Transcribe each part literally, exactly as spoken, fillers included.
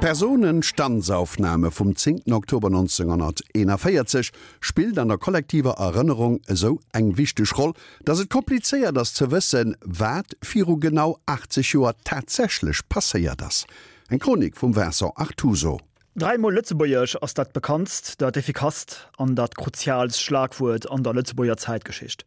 D'Personenstandsaufnahme vum zéngten Oktober nonzénghonnerteenavéierzeg spillt an der kollektiver Erënnerung esou eng wichteg Roll, datt et komplizéiert ass ze wëssen, wat viru genau achtzeg Joer tatsächlech passéiert ass. Eng Chronik vum Vincent Artuso. Dräimol Lëtzebuergesch ass dat bekanntst, dat effikasst an dat kruziaalst Schlagwuert an der Lëtzebuerger Zäitgeschicht.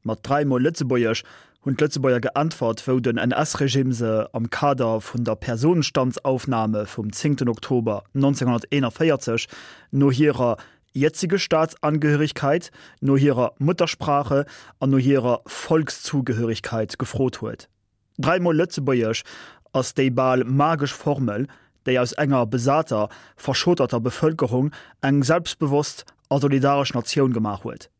Mat dräimol Lëtzebuergesch hunn d'Lëtzebuerger geäntwert, wou den N S-Regime se am Kader vun der Personenstandsaufnahme vum zéngten Oktober nonzénghonnerteenavéierzeg no hirer jetzige Staatsangehörigkeit, no hirer Muttersprache an no hirer Volkszugehörigkeit gefrot huet. Dräimol Lëtzebuergesch ass déi bal magesch Formel, déi aus enger besater, verschotterter Bevëlkerung eng selbstbewosst a solidaresch Natioun gemaach huet.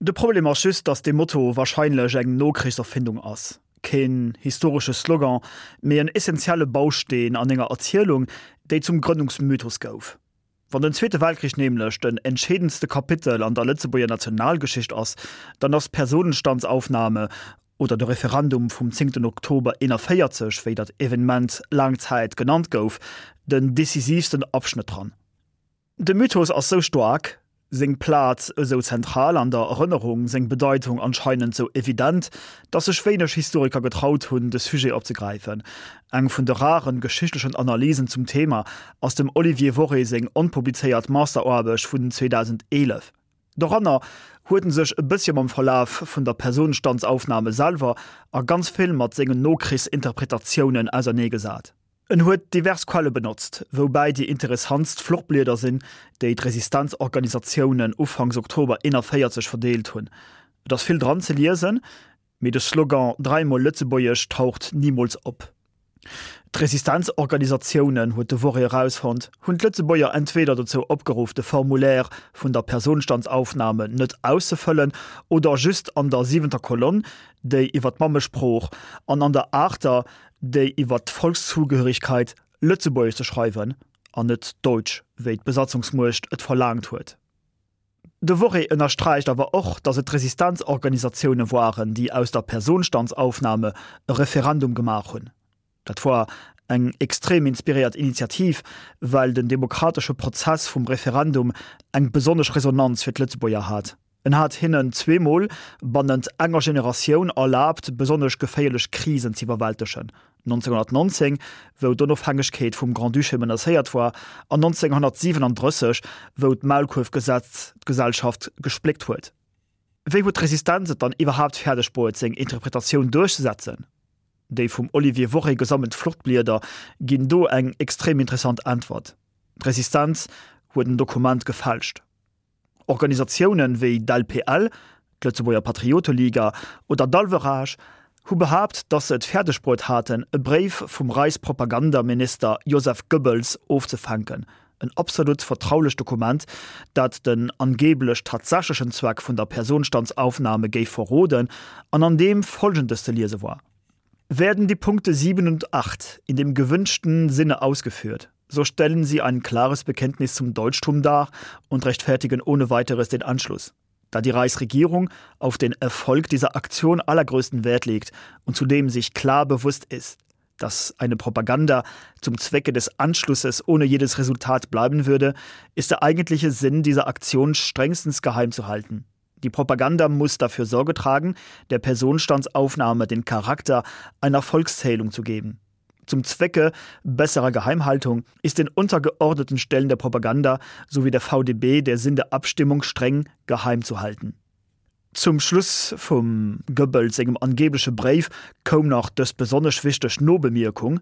De Problem ass just, datt dee Motto warscheinlech eng Nokrichserfindung ass. Keen historesche Slogan, mee en essentielle Bausteen an enger Erzielung, déi zum Grënnungsmythos gouf. Wann den Zweete Weltkrich nämlech den entscheedendste Kapitel an der Lëtzebuerger Nationalgeschicht ass, dann ass d'Personenstandsaufnahme oder de Referendum vum zéngten Oktober eenavéierzeg, wéi dat Evenement laang Zäit genannt gouf, den decisivsten Abschnitt dran. De Mythos ass sou staark, seng Plaz esou zentral an der Erënnerung, seng Bedeitung anscheinend sou evident, datt sech wéineg Historiker getraut hunn, de Sujet opzegräifen. Eng vun de raren geschichtlechen Analysen zum Thema ass dem Olivier Worré seng onpublizéiert Masteraarbecht vun zweedausendeelef. Doranner huet en sech e bëssche mam Verlaf vun der Personenstandsaufnahme selwer a ganz vill mat sengen Nokrichsinterpretatiounen auserneegesat. En huet divers Quelle benotzt, woubäi déi interessantst Fluchblieder sinn, déi d'Resistenzorganisatiounen ufanks Oktober eenavéierzeg verdeelt hunn. Et ass vill dran ze liesen, mee de Slogan Dräimol Lëtzebuergesch taucht nimools op. D'Resistenzorganisatiounen, huet de Worré erausfonnt, hunn d'Lëtzebuerger entweder dozou opgeruff, de Formulaire vun der Personenstandsaufnahme net auszefëllen oder just an der siwenter Kolonn, déi iwwer d'Mammesprooch, an an der aachter, déi iwwer d'Volkszugehörigkeit, Lëtzebuergesch ze schreiwen an net Deutsch, wéi d'Besatzungsmuecht et verlaangt huet. De Worré ënnersträicht awer och, datt et d'Resistenzorganisatioune waren, déi aus der Personenstandsaufnahme e Referendum gemaach hunn. Dat war eng extrem inspiréiert Initiativ, well den demokratesche Prozess vum Referendum eng besonnesch Resonanz fir d'Lëtzebuerger hat. En hat hinnen zweemol bannent enger Generatioun erlaabt, besonnesch geféierlech Krisen z'iwwerwältegen, nonzénghonnertnonzéng, wou d'Onofhängegkeet vum Grand-Duché menacéiert war, an nonzénghonnertsiwenandrësseg, wou d'Maulkuerfgesetz d'Gesellschaft gespléckt huet. Wéi huet d'Resistenz et dann iwwerhaapt fäerdeg bruet, seng Interpretatioun duerchzesetzen? Déi vum Olivier Worré gesammelt Fluchtblieder ginn do eng extrem interessant Äntwert, D'Resistenz huet en Dokument gefälscht. Organisatiounen wéi d'L P L, d'Lëtzebuerger Patrioteliga, oder d'Alverage hu behaapt, datt se et fäerdeg bruet haten, e Bréif vum Reichspropagandaminister Joseph Goebbels ofzefänken, en absolut vertraulecht Dokument, dat den angeblech tatsächlechen Zweck vun der Personenstandsaufnahme géif verroden an an deem Folgendes ze liese war: Werden die Punkte sieben und acht in dem gewünschten Sinne ausgeführt, so stellen sie ein klares Bekenntnis zum Deutschtum dar und rechtfertigen ohne weiteres den Anschluss. Da die Reichsregierung auf den Erfolg dieser Aktion allergrößten Wert legt und zudem sich klar bewusst ist, dass eine Propaganda zum Zwecke des Anschlusses ohne jedes Resultat bleiben würde, ist der eigentliche Sinn dieser Aktion strengstens geheim zu halten. Die Propaganda muss dafür Sorge tragen, der Personenstandsaufnahme den Charakter einer Volkszählung zu geben. Zum Zwecke besserer Geheimhaltung ist den untergeordneten Stellen der Propaganda sowie der V D B der Sinn der Abstimmung streng geheim zu halten. Zum Schluss vum Goebbels sengem angebliche Brief koum nach dës besonnesch wichteg Nobemerkung: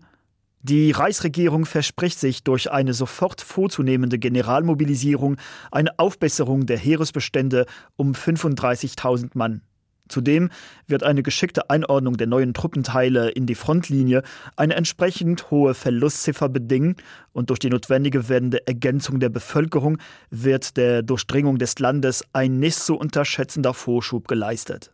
Die Reichsregierung verspricht sich durch eine sofort vorzunehmende Generalmobilisierung eine Aufbesserung der Heeresbestände um fünfunddreißigtausend Mann. Zudem wird eine geschickte Einordnung der neuen Truppenteile in die Frontlinie eine entsprechend hohe Verlustziffer bedingen und durch die notwendige werdende Ergänzung der Bevölkerung wird der Durchdringung des Landes ein nicht zu unterschätzender Vorschub geleistet.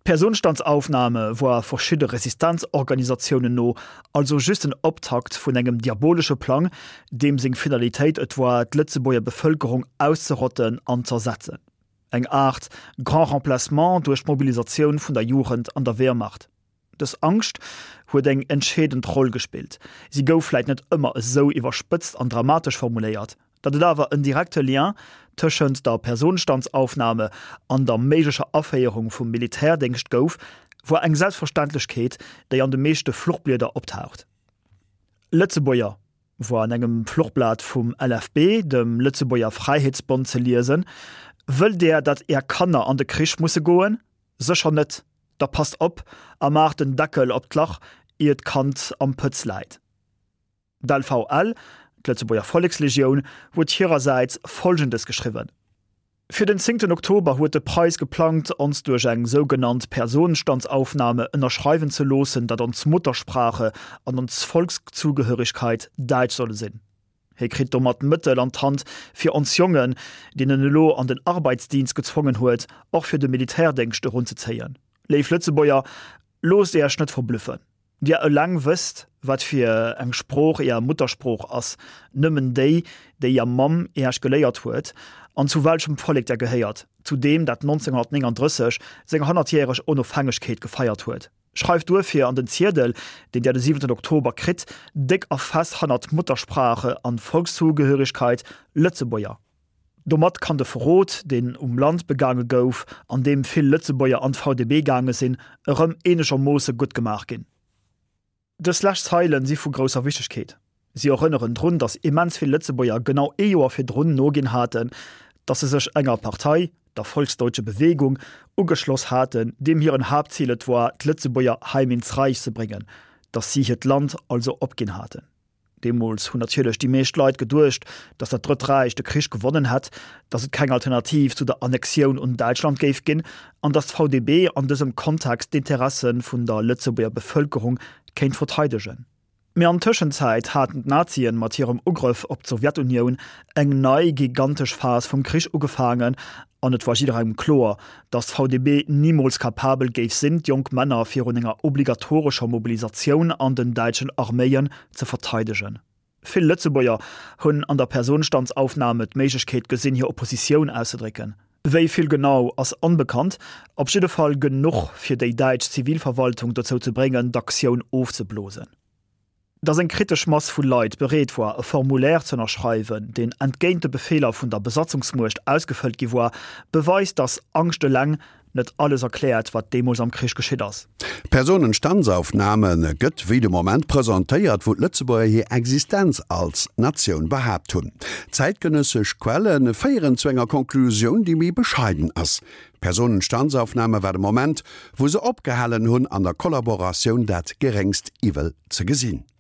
D'Personenstandsaufnahme war verschiedene Resistenzorganisationen no, also just en Optakt vun engem diabolische Plan, dem seng Finalitéit et war, d'Lëtzebuerger Bevëlkerung auszerotten an z'ersetzen. Eng Art Grand Remplacement duerch d'Mobilisatioun vun der Jugend an der Wehrmacht. Dës Angscht huet eng entscheedend Roll gespillt. Si gouf vläit net ëmmer esou iwwerspëtzt an dramatesch formuléiert. Datt et awer en direkte Lien tëschent der Personenstandsaufnahme an der méiglecher Aféierung vum Militärdéngscht gouf, war eng Selbstverständlechkeet, déi an de meeschte Fluchblieder optaucht. Lëtzebuerger, war an engem Fluchblat vum L F B, dem Lëtzebuerger Fräiheetsbond, ze liesen, Wëllt Där, datt Är Kanner an de Krich musse goen? Sécher net! Da passt op a maacht den Deckel op d'Lach, ier d'Kand am Pëtz läit. D'L V L, d'Lëtzebuerger Vollekslegioun, huet hirersäits Folgendes geschriwwen: Fir den zéngten Oktober huet de Preiss geplangt, ons duerch eng sougenannt Personenstandsaufnahme ënnerschreiwen ze loossen, datt ons Muttersprache an ons Volkszugehörigkeit däitsch solle sinn. Hie kritt domat Mëttel an d'Hand, fir ons Jongen, déi en elo an den Arbeitsdienst gezwongen huet, och fir de Militärdéngscht erunzezéien. Léif Lëtzebuerger, loosst Iech net verblëffen. Dir eleng wësst, wat fir eng Sprooch Är Muttersprooch ass, nëmmen déi, déi Är Mamm Iech geléiert huet, an zu welchem Vollek Der gehéiert, zu deem, dat nonzénghonnertnénganddrësseg seng honnertjäreg Onofhängegkeet gefeiert huet. Schreift duerfir an den Ziedel, deen Der de siwenten Oktober kritt, déck a fest hannert Muttersprache an Volkszugehörigkeit Lëtzebuerger. Domat kann de Verrot, deen um Land begaange gouf, an deem vill Lëtzebuerger an d'V D B gaange sinn, erëm eenegermoosse guttgemaach ginn. Dës lescht Zeilen si vu grousser Wichtegkeet. Si erënneren drun, datt immens vill Lëtzebuerger genau ee Joer virdrun noginn haten, datt se sech enger Partei, der Volksdeutsche Bewegung, ugeschloss haten, deem hiren Haaptzil et war, d'Lëtzebuerger heim ins Reich ze bréngen, datt si hiert Land also opginn haten. Deemools hunn natierlech déi meescht Leit geduecht, datt dat Drëtt Räich de Krich gewonnen hätt, datt et keng Alternativ zu der Annexioun un Däitschland géif ginn an datt d'V D B an dësem Kontext d'Interesse vun der Lëtzebuerger Bevëlkerung kéint verteidegen. Mee an Tëschenzäit haten d'Nazien mat hirem Ugrëff op d'Sowjetunioun eng nei gigantesch Phas vum Krich ugefaangen an et war jidderengem kloer, datt d'V D B nimools kapabel géif sinn, d'jonk Männer virun enger obligatorescher Mobilisatioun an den däitschen Arméien ze verteidegen. Vill Lëtzebuerger hunn an der Personenstandsaufnahme d'Méiglechkeet gesinn, hir Oppositioun auszedrécken. Wéi vill genau ass onbekannt, op jidde Fall genuch fir déi däitsch Zivilverwaltung dozou ze bréngen, d'Aktioun ofzeblosen. Datt eng kritesch Mass vu Leit bereet war, e Formulaire ze ënnerschreiwen, deen entgéint de Befeeler vun der Besatzungsmuecht ausgefëllt gi war, beweist, datt Angscht eleng net alles erkläert, wat deemools am Krich geschitt ass. D'Personenstandsaufnahme gëtt wéi de Moment presentéiert, wou d'Lëtzebuerger hir Existenz als Natioun behaapt hunn. Zäitgenëssesch Quelle féieren zu enger Konklusioun, déi méi bescheiden ass. D'Personenstandsaufnahme war de Moment, wou se opgehalen hunn, an der Kollaboratioun dat geréngst Iwwel ze gesinn.